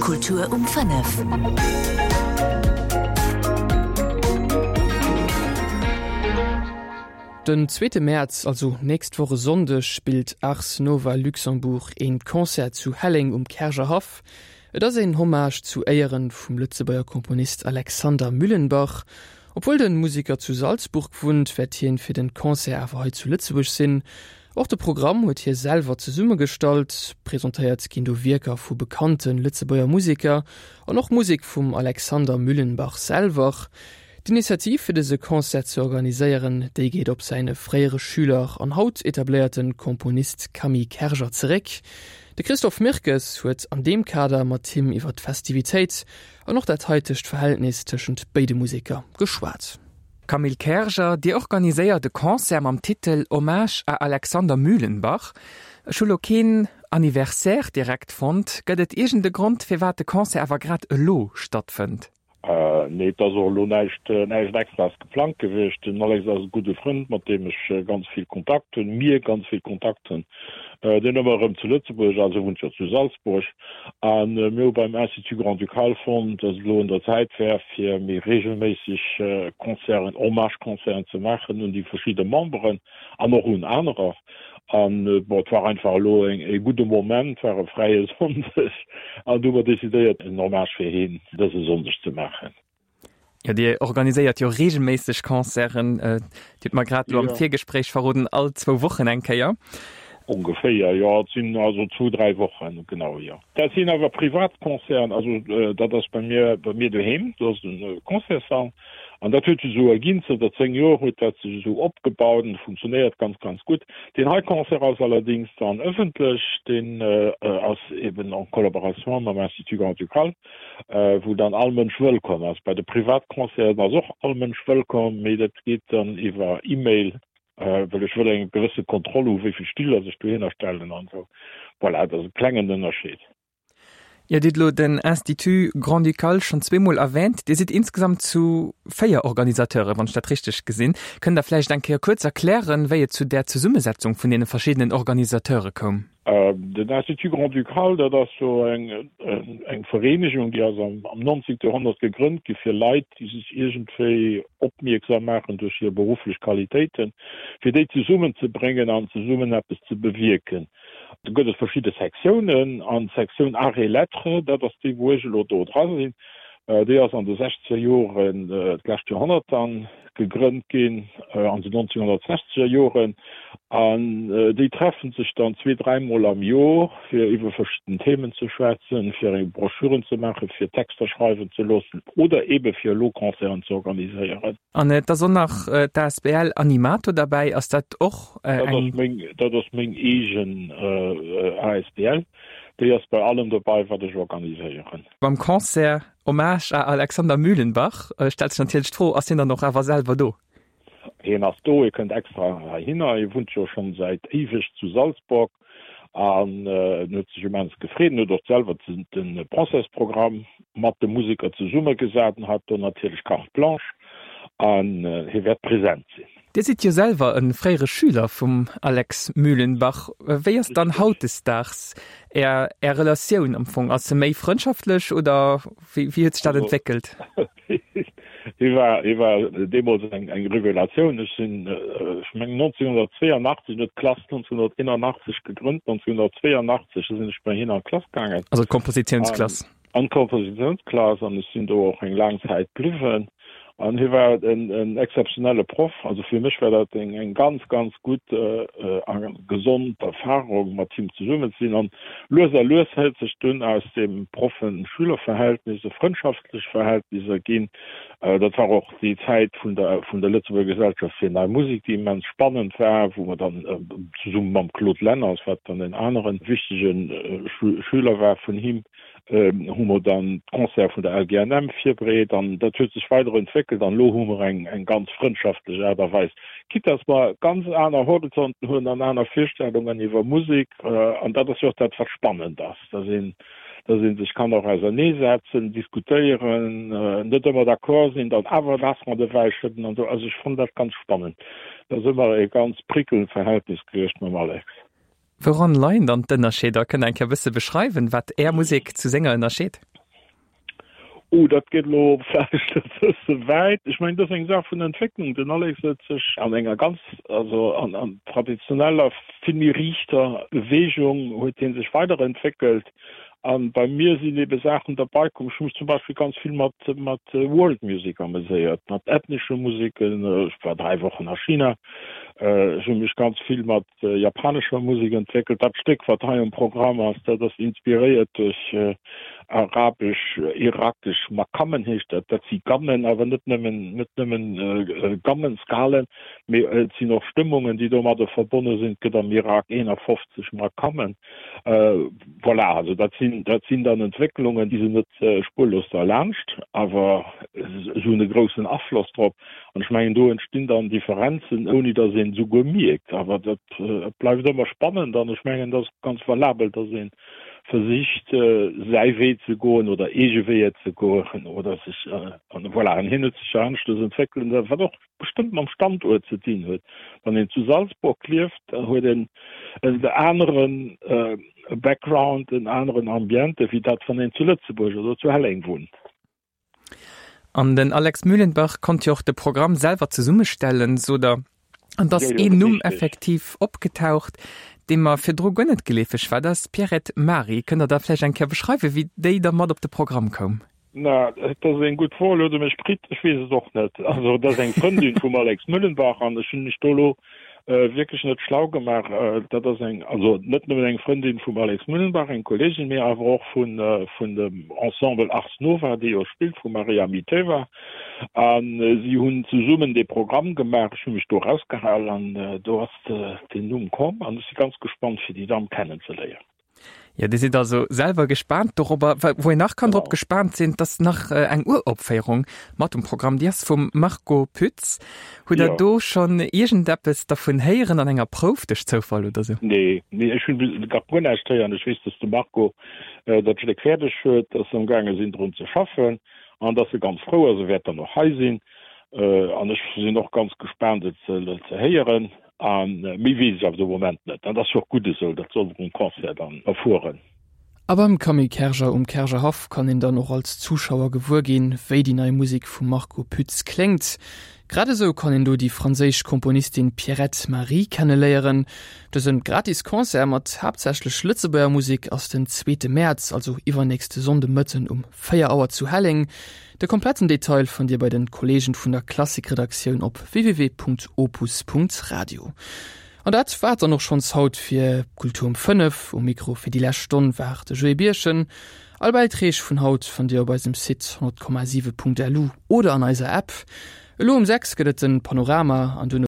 Kultur um 5. Den zweete Mäerz, also nächst Woch e Sonndeg, spillt Ars Nova Luxembourg een Concert zu Helleng um Käercher Haff. Et ass een Hommage zu Éieren vum Lëtzebuerger Komponist Alexander Mühlenbach. Obwuel den Museker zu Salzburg wunnt, wäert hien fir den Concert awer hei zu Lëtzebuerg sinn. Och de Programm huet hie selwer zesummegestallt. Presentéiert ginn do Wierker vu bekannte Lëtzebuerger Museker an och Musek vum Alexander Mühlenbach selwer. D'Initiativ fir dëse Concert ze organiséieren, déi geet op säine fréiere Schüler an haut etabléierte Komponist Camille Kerger zeréck. De Christophe Mirkes huet an deem Kader mat him iwwer d'Festivitéit an och dat haitegt Verhältnis tëschent béide Museker geschwat. Camille Kerger, Dir organiséiert e Concert mam Titel Hommage à Alexander Mühlenbach. Ech hu lo keen Anniversaire direkt fonnt. Gëtt et iergend e Grond, firwat de Concert awer grad elo stattfënnt? Nee, et ass och elo näischt, näischt Extraes geplangt gewiescht. Den Alex ass e gudde Frënd, mat deem ech ganz vill Kontakt hunn, mir ganz vill Kontakt hunn. Deen ëmmer erëm zu Lëtzebuerg ass, e wunnt jo zu Salzburg. A mir hu beim Institut Grand-Ducal fonnt, dass et elo un der Zäit wär, fir méi reegelméisseg Concerten, Hommage-Concerten ze maachen un déi verschidde Memberen an och un anerer. An bon, et war einfach elo e gudde Moment, war e fräie Sonndeg an du hu mer decidéiert, en Hommage fir hien dëse Sonndeg ze maachen. Jo, Dir organiséiert jo reegelméisseg Concerten. Dir hutt mer grad elo am Virgespréich verroden, all zwou Wochen eng Kéier. Ongeféier, jo. Et sinn also zwou, dräi Wochen, genau, jo. Dat sinn awer privat Concerten, also dat ass bei mir, bei mir doheem, do ass e Concertssall an dat huet sech esou erginn, zënter 10 Joer huet dat sech esou opgebaut an funktionéiert ganz, ganz gutt. Deen hei Concert ass allerdéngs dann ëffentlech, deen ass eben en collaboration mam Institut Grand-Ducal. wou dann all Mënsch wëllkomm ass. Bei de Privatconcerten ass och all Mënsch wëllkomm, mee dat geet dann iwwer E-Mail, well ech wëll eng gewësse Kontroll hu wéi vill Stiller sech dohinner stellen an esou. Voilà, dat ass e klengen Ënnerscheed. Dir hutt elo den Institut Grand-Ducal schonn zweemol erwähnt. Dir sidd insgesamt zu véier Organisateuren, wann ech dat richteg gesinn. Kënnt Der vläicht eng Kéier kuerz erklären, wéi et zu där Zesummesetzung vun deene verschiddenen Organisateure koum? Den Institut Grand-Ducal, dat ass jo eng Vereenegung, déi ass am 19. Joerhonnert gegrënnt gi fir Leit, déi sech iergendwéi opmierksam maachen duerch hir berufflech Qualitéiten, fir déi zesummenzebréngen an zesummen eppes ze bewierken. Do gëtt et verschidde Sektiounen an d'Sektioun Arts et Lettres, dat ass déi, wou ech elo do dra sinn, déi ass an de sechzeger Joren d'lescht Joerhonnert dann gegrënnt ginn an den 1960er Joren an déi treffen sech dann zwee, dräimol am Jor fir iwwer verschidden Themen ze schwätzen, fir eng Broschüren ze maachen, fir Texter schreiwen ze loossen oder eebe fir elo Concerten ze organiséieren. An et ass och nach d'ASBL Animato derbäi. Ass dat och eng? Dat ass meng eegen ASBL. Déi ass bei allem dobei wat ech organiséieren. Beim Concert Hommage à Alexander Mühlenbach stellt sech natierlech d'Fro, Ass hien dann och awer selwer do? Hien ass do, hie kënnt extra heihinner. Hie wunnt jo schonn säit éiweg zu Salzburg an en huet sech immens gefreet. En huet och selwer de Concertsprogramm mat de Museker zesummegesat an hat do natierlech Carte blanche an hie wäert present sinn. Dir sidd jo selwer e fréiere Schüler vum Alex Mühlenbach. Wéi ass dann hautdesdaags Är Är Relatioun am Fong? Ass se méi frëndschaftlech oder wéi wéi huet sech dat entwéckelt? Hie war hie war deemools eng eng Revelatioun. Ech sinn, ech mengen 1982, en huet d'Klass 1981 gegrënnt, 1982 sinn ech bei hien an d'Klass gaangen. Also d'Kompositiounsklass? An d'Kompositiounsklass an ech sinn do och eng laang Zäit bliwwen. An hie war en exzeptionelle Proff. Also fir mech war dat eng ganz, ganz gutt a gesond Erfarung, mat him zesummen ze sinn. An lues a lues huet sech dunn aus deem Proffen-Schüler-Verhältnis e frëndschaftlech Verhältnis erginn. Dat war och déi Zäit vun der vun der Lëtzebuerger Gesellschaft fir Nei Musek, déi immens spannend war, wou mer dann zesumme mam Claude Lenners, wat dann en anere wichtege Schüler war vun him, hu mer dann d'Concerte vun der LGNM virbereet an dat huet sech weider entwéckelt an elo hu mer eng eng ganz frëndschaftlech Aart a Weis, quitte dass mer ganz aner Horizonten hunn an aner Virstellungen iwwer Musek an dat ass jo och dat wat spannend ass, dass een dass ee sech kann och auserneesetzen, diskutéieren, net ëmmer d'accord sinn, dann awer d'Ass mat ewäi schëdden an esou. Also ech fannen dat ganz spannend. Dat ass ëmmer e ganz prickelnd Verhältnis gewiescht mam Alex. Wouran leien dann d'Ënnerscheeder? Kënnt Der eng Kéier e bësse beschreiwen, wat Är Musek zu senger ënnerscheet? Oh, dat geet elo vläicht e bësse wäit. Ech mengen, dat ass eng Saach vun Entwécklung. Den Alex huet sech an enger ganz, also an an traditioneller, vill méi riichter Beweegung huet hie sech weiderentwéckelt. A bei mir sinn ebe Saachen derbei komm. Ech hu mech zum Beispill ganz vill mat mat World Music ameséiert, mat ethnesche Museken. Ech war 3 Wochen a China. Ech hu mech ganz vill mat japanescher Musek entwéckelt. Dat Stéck, wat hei um Programm ass, dat ass inspiréiert duerch arabesch, irakesch Maqamen heescht dat. Dat si Gammen, awer net nëmmen, net nëmmen Gammen, Skalen, mee et sinn och Stëmmungen, déi domadder verbonne sinn. Et gëtt am Irak 51 Maqamen. Voilà, also dat sinn, dat sinn dann Entwécklungen, déi sinn net spurlos derlaanscht, awer se hunn e groussen Afloss drop. An ech mengen, do entstinn dann Differenzen, ouni datt een esouguer mierkt. Awer dat bleift ëmmer spannend an ech mengen, et ass ganz valabel, datt ee versicht, säi Wee ze goen oder eege Weeër ze goen oder sech, an voilà, an hien huet sech jo aneschters entwéckelt, wat och bestëmmt mam Standuert ze dinn huet. Wann een zu Salzburg lieft, da huet een en anere Background, en aneren Ambiente wéi dat, wann een zu Lëtzebuerg oder zu Helleng wunnt. An den Alex Mühlenbach konnt jo och de Programm selwer zesummestellen, sot Der. An et ass een Numm effektiv opgetaucht, dee mer virdru guer net geleefeg war, dat ass d'Pierrette Mary. Kënnt Der da vläicht eng Kéier beschreiwen, wéi déi da mat op de Programm koum? Na, dat ass eng gutt Fro. Elo hutt Der mech kritt, ech weess et och net. Also et ass eng Frëndin vum Alex Müllenbach an ech hunn mech do elo wierklech net schlau gemaach. Dat ass eng, also net nëmmen eng Frëndin vum Alex Müllenbach, eng Kolleegin, mee awer och vun, vun dem Ensemble Ars Nova, dee jo spillt vum Maria Miteva. A si hunn zesummen dee Programm gemaach. Ech hu mech do erausgehal an do ass deen Numm komm an ech si ganz gespannt, fir déi Damm kennenzeléieren. Jo, Dir sidd also selwer gespaant dorobber. Wou een nach kann drop gespaant sinn, 't ass nach eng Uropféierung mat um Programm, déi ass vum Marco Pütz. Hutt Der do schonn iergendeppes dervun héieren an enger Prouf, duerch Zoufall oder sou? Nee, nee, ech hunn nach guer näischt héieren. Ech weess, dass de Marco dat Stéck fäerdeg huet, dass se amgaange sinn drun ze schaffen an dass e ganz frou ass. E wäert dann och hei sinn an ech sinn och ganz gespaant et ze héieren. A méi weess ech awer de Moment net. Dat ass jo och gutt esou, dat soll mer um Concert dann erfueren. A beim Camille Kerger um Kergerhaff kann een dann och als Zuschauer gewuer ginn, wéi déi nei Musek vum Marco Pütz kléngt. Grad esou kann een do déi franséisch Komponistin Pierrette Marie kenneléieren. Dëse gratis Concert mat haaptsächlech Lëtzebuerger Musek ass den zweete Mäerz, also iwwernächste Sonnde Mëtten um 4 Auer zu Helleng. De kompletten Detail fannt Dir bei den Kollegen vun der Klassikredaktioun op www.opus.radio. An dat war et dann och schonns haut fir Kultur um 5. Um Mikro fir déi lescht Stonn war de Joé Birchen. All Bäitreeg vun haut fannt Dir op eisem Site 100,7.lu oder an eiser App. Elo um 6 gëtt et den Panorama an duerno.